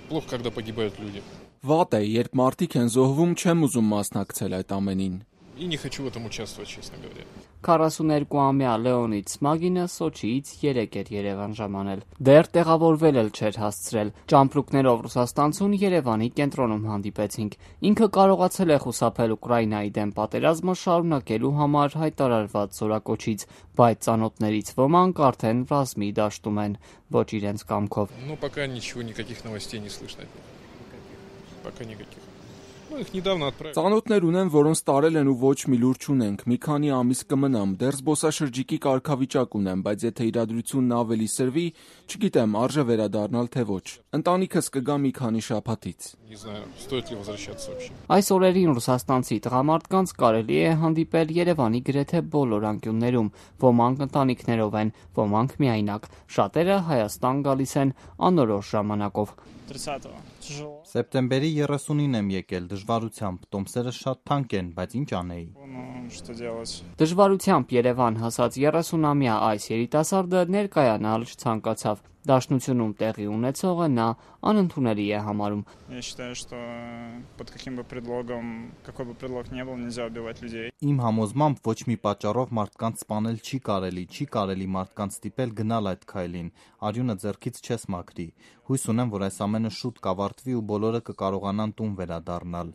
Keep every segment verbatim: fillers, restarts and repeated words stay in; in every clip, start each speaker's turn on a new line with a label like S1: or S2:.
S1: Плохо, когда погибают люди.
S2: Վատ է, երբ մարդիկ են զոհվում, չեմ ուզում մասնակցել այդ ամենին։
S1: И не хочу в этом участвовать, честно говоря.
S3: քառասուներկուամյա Լեոնիդ Սմագինը Սոչիից երեկ էր Երևան ժամանել։ Դեռ տեղավորվել էլ չէր հասցրել։ Ճամպրուկներով Ռուսաստանցուն Երևանի կենտրոնում հանդիպեցինք։ Ինքը կարողացել է խուսափել Ուկրաինայի դեմ պատերազմը շարունակելու համար հայտարարված զորակոչից, բայց ծանոթներից ոմանք արդեն ռազմի դաշտում են, ոչ իրենց կամքով։
S1: Но пока ничего, никаких новостей не слышно. Пока никаких. Ну, их недавно отправили.
S2: Ծանոթներ ունեմ, որոնց տարել են ու ոչ մի լուր չունենք։ Մի քանի ամիս կմնամ, դեռ զբոսաշրջիկի կարգավիճակ ունեմ, բայց եթե իրադրությունն ավելի սրվի, չգիտեմ, արժե վերադառնալ թե ոչ։ Ընտանիքս կգա մի քանի շաբաթից։
S1: Не знаю, стоит ли возвращаться вообще.
S3: Այս օրերին ռուսաստանցի տղամարդկանց կարելի է հանդիպել Երևանի գրեթե բոլոր անկյուններում, ոմանք ընտանիքներով են, ոմանք միայնակ, շատերը Հայաստան գալիս են անորոշ ժամանակով։
S4: Սեպտեմբերի երեսունին եմ եկել դժվարությամբ, տոմսերը շատ թանկ են, բայց ինչ անեի։
S3: Դժվարությամբ Երևան հասած երեսունամյա այս երիտասարդը ներկայանալ չցանկացավ։ Դաշնությունում տեղի ունեցողը նա անընդունելի է համարում։
S4: Իմ համոզմամբ ոչ մի պատճառով մարդկանց սպանել չի կարելի, չի կարելի մարդկանց ստիպել գնալ այդ քայլին, արյունը ձեռքից չես մաքրի։ Հույս ունեմ, որ այս ամենը շուտ կավարտվի ու բոլորը կկարողանան տուն վերադառնալ։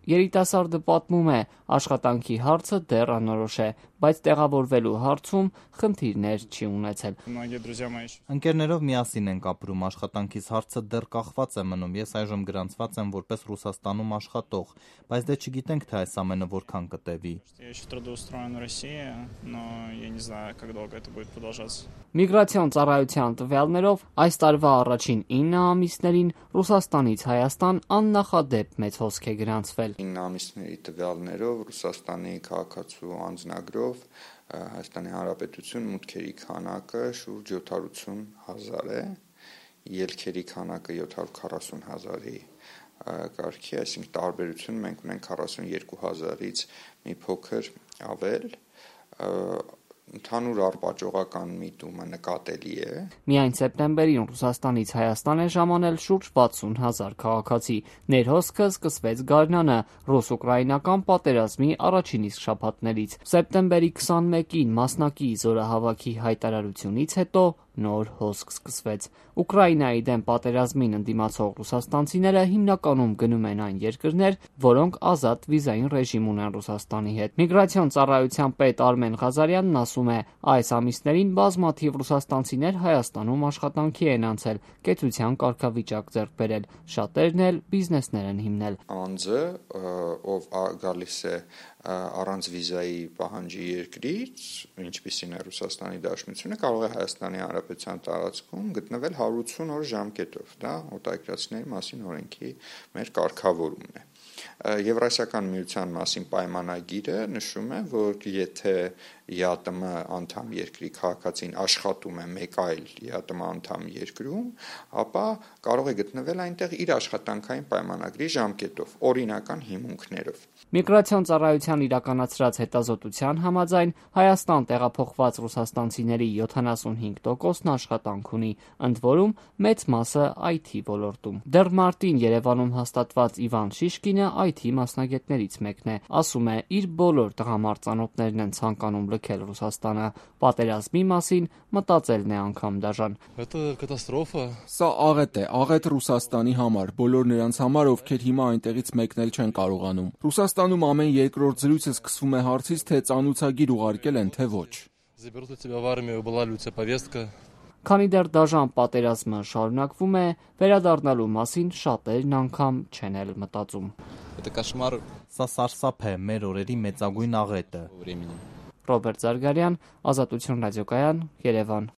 S3: Երիտասարդը պատմում է, աշխատանքի հարցը դեռ անորոշ է, բայց տեղավորվելու հարցում խնդիրներ չի ունեցել։
S4: Ընկերներով միասին ենք ապրում, աշխատանքիս հարցը դեռ կախված է մնում, ես այժմ գրանցված եմ որպես Ռուսաստանում աշխատող, բայց դե չգիտենք, թե այս ամենը որքան կտևի։
S3: Միգրացիոն ծառայության տվյալներով այս տարվա առաջին ինը ամիսներին Ռուսաստանից Հայաստան աննախադեպ մեծ հոսք է գրանցվել։
S5: ինը ամիսների տվյալներով Ռուսաստանի քաղաքացու անձնագրով Հայաստանի Հանրապետություն մուտքերի քանակը շուրջ յոթսուն հազար է, ելքերի քանակը յոթ հարյուր քառասուն հազարի կարգի, այսինքն տարբերություն մենք ունենք քառասունյոթ հազարից մի փոքր ավել, ընդհանուր առպաճողական միտումը նկատելի է։
S3: Միայն սեպտեմբերին Ռուսաստանից Հայաստան է ժամանել շուրջ վաթսուն հազար քաղաքացի։ Ներհոսքը սկսվեց գարնանը ռուս-ուկրաինական պատերազմի առաջին իսկ շաբաթներից։ Սեպտեմբերի քսանմեկին մասնակի զորահավաքի հայտարարությունից հետո նոր հոսք սկսվեց։ Ուկրաինայի դեմ պատերազմին ընդդիմացող ռուսաստանցիները հիմնականում գնում են այն երկրներ, որոնք ազատ վիզային ռեժիմ ունեն Ռուսաստանի հետ։ Միգրացիոն ծառայության պետ Արմեն Ղազարյանն ասում է, այս ամիսներին բազմաթիվ ռուսաստանցիներ Հայաստանում աշխատանքի են անցել, կեցության կարգավիճակ ձեռք բերել, շատերն էլ բիզնեսներ են հիմնել։
S5: Անձը, ով գալիս է առանց վիզայի պահանջի երկրից, ինչպիսին է Ռուսաստանի Դաշնությունը, կարող է Հայաստանի Հանրապետության տարածքում գտնվել հարյուր ութսուն օր ժամկետով, դա օտարերկրացիների մասին օրենքի մեր կարգավորումն է։ Եվրասիական միության մասին պայմանագիրը նշում է, որ եթե ԵԱՏՄ անդամ երկրի քաղաքացին աշխատում է մեկ այլ ԵԱՏՄ անդամ երկրում, ապա կարող է գտնվել այնտեղ իր աշխատանքային պայմանագրի ժամկետով, օրինական հիմունքներով։
S3: Միգրացիոն ծառայության իրականացրած հետազոտության համաձայն Հայաստան տեղափոխված ռուսաստանցիների յոթանասունհինգ տոկոսն աշխատանք ունի, ընդ որում մեծ մասը այ թի ոլորտում։ Դեռ մարտին Երևանում հաստատված Իվան Շիշկինը այ թի մասնագետներից մեկն է, ասում է, իր բոլոր տղամարդ ծանոթներն են ցանկանում լքել Ռուսաստանը, պատերազմի մասին մտածելն է անգամ դաժան։
S2: Սա աղետ է, աղետ Ռուսաստանի համար, բոլոր նրանց համար, ովքեր հիմա այնտեղից մեկնել չեն կարողանում։ Ռուսաստանում ամեն երկրորդ զրույցը սկսվում է հարցից, թե ծանուցագիր ուղարկել են, թե ոչ։
S3: Քանի դեռ դաժան պատերազմը շարունակվում է, վերադառնալու մասին շատերն անգամ չեն էլ մտածում։
S4: Սա սարսափ է, մեր օրերի մեծագույն աղետը։
S3: Ռոբերտ Զարգարյան, Ազատություն ռադիոկայան, Երևան։